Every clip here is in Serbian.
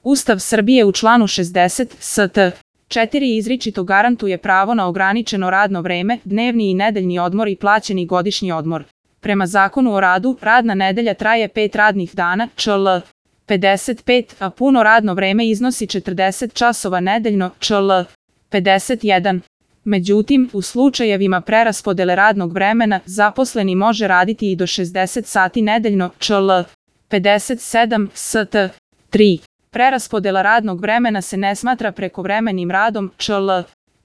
Ustav Srbije u članu 60 st. 4 izričito garantuje pravo na ograničeno radno vreme, dnevni i nedeljni odmor i plaćeni godišnji odmor. Prema Zakonu o radu, radna nedelja traje 5 radnih dana, čl. 55, a puno radno vreme iznosi 40 časova nedeljno, čl. 51. Međutim, u slučajevima preraspodele radnog vremena, zaposleni može raditi i do 60 sati nedeljno, čl. 57 st. 3. Preraspodela radnog vremena se ne smatra prekovremenim radom, čl.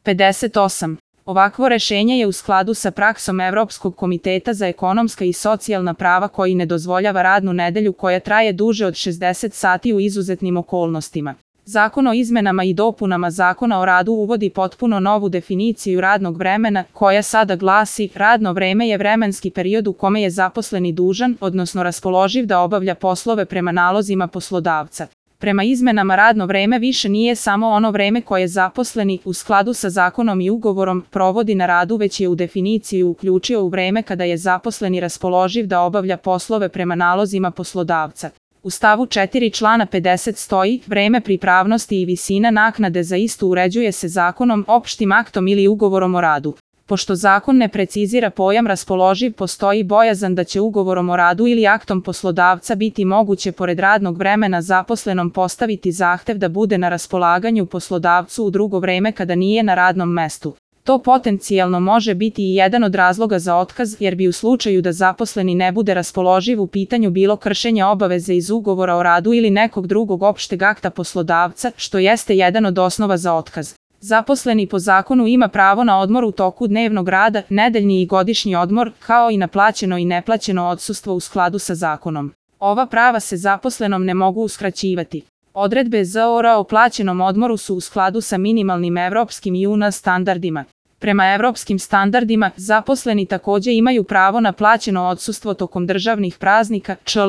58. Ovakvo rešenje je u skladu sa praksom Evropskog komiteta za ekonomska i socijalna prava koji ne dozvoljava radnu nedelju koja traje duže od 60 sati u izuzetnim okolnostima. Zakon o izmenama i dopunama Zakona o radu uvodi potpuno novu definiciju radnog vremena, koja sada glasi: radno vreme je vremenski period u kome je zaposleni dužan, odnosno raspoloživ da obavlja poslove prema nalozima poslodavca. Prema izmenama radno vreme više nije samo ono vreme koje zaposleni, u skladu sa zakonom i ugovorom, provodi na radu, već je u definiciju uključio u vreme kada je zaposleni raspoloživ da obavlja poslove prema nalozima poslodavca. U stavu 4 člana 50 stoji: vreme pripravnosti i visina naknade za istu uređuje se zakonom, opštim aktom ili ugovorom o radu. Pošto zakon ne precizira pojam raspoloživ, postoji bojazan da će ugovorom o radu ili aktom poslodavca biti moguće pored radnog vremena zaposlenom postaviti zahtev da bude na raspolaganju poslodavcu u drugo vreme kada nije na radnom mestu. To potencijalno može biti i jedan od razloga za otkaz, jer bi u slučaju da zaposleni ne bude raspoloživ u pitanju bilo kršenje obaveze iz ugovora o radu ili nekog drugog opšteg akta poslodavca, što jeste jedan od osnova za otkaz. Zaposleni po zakonu ima pravo na odmor u toku dnevnog rada, nedeljni i godišnji odmor, kao i na plaćeno i neplaćeno odsustvo u skladu sa zakonom. Ova prava se zaposlenom ne mogu uskraćivati. Odredbe ZOR o plaćenom odmoru su u skladu sa minimalnim evropskim i UN standardima. Prema evropskim standardima, zaposleni takođe imaju pravo na plaćeno odsustvo tokom državnih praznika, čl.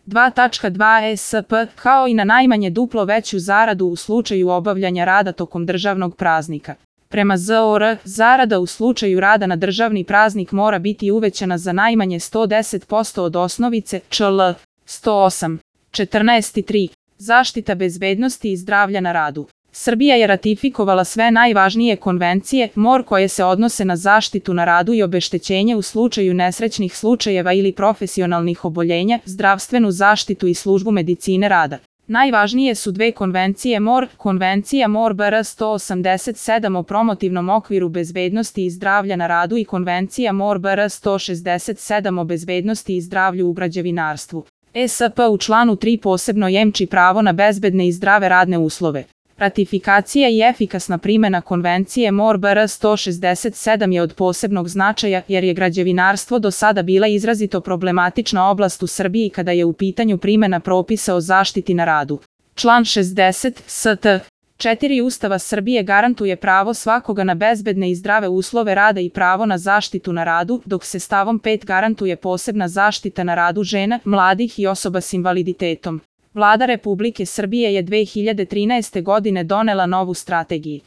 2.2 SP, kao i na najmanje duplo veću zaradu u slučaju obavljanja rada tokom državnog praznika. Prema ZOR, zarada u slučaju rada na državni praznik mora biti uvećana za najmanje 110% od osnovice, čl. 108. 14.3. Zaštita bezbednosti i zdravlja na radu. Srbija je ratifikovala sve najvažnije konvencije MOR koje se odnose na zaštitu na radu i obeštećenje u slučaju nesrećnih slučajeva ili profesionalnih oboljenja, zdravstvenu zaštitu i službu medicine rada. Najvažnije su dve konvencije MOR, Konvencija MOR BR 187 o promotivnom okviru bezbednosti i zdravlja na radu i Konvencija MOR BR 167 o bezbednosti i zdravlju u građevinarstvu. ESP u članu 3 posebno jemči pravo na bezbedne i zdrave radne uslove. Ratifikacija i efikasna primena Konvencije MOR BR 167 je od posebnog značaja, jer je građevinarstvo do sada bila izrazito problematična oblast u Srbiji kada je u pitanju primena propisa o zaštiti na radu. Član 60 st. 4 Ustava Srbije garantuje pravo svakoga na bezbedne i zdrave uslove rada i pravo na zaštitu na radu, dok se stavom 5 garantuje posebna zaštita na radu žena, mladih i osoba s invaliditetom. Vlada Republike Srbije je 2013. godine donela novu strategiju.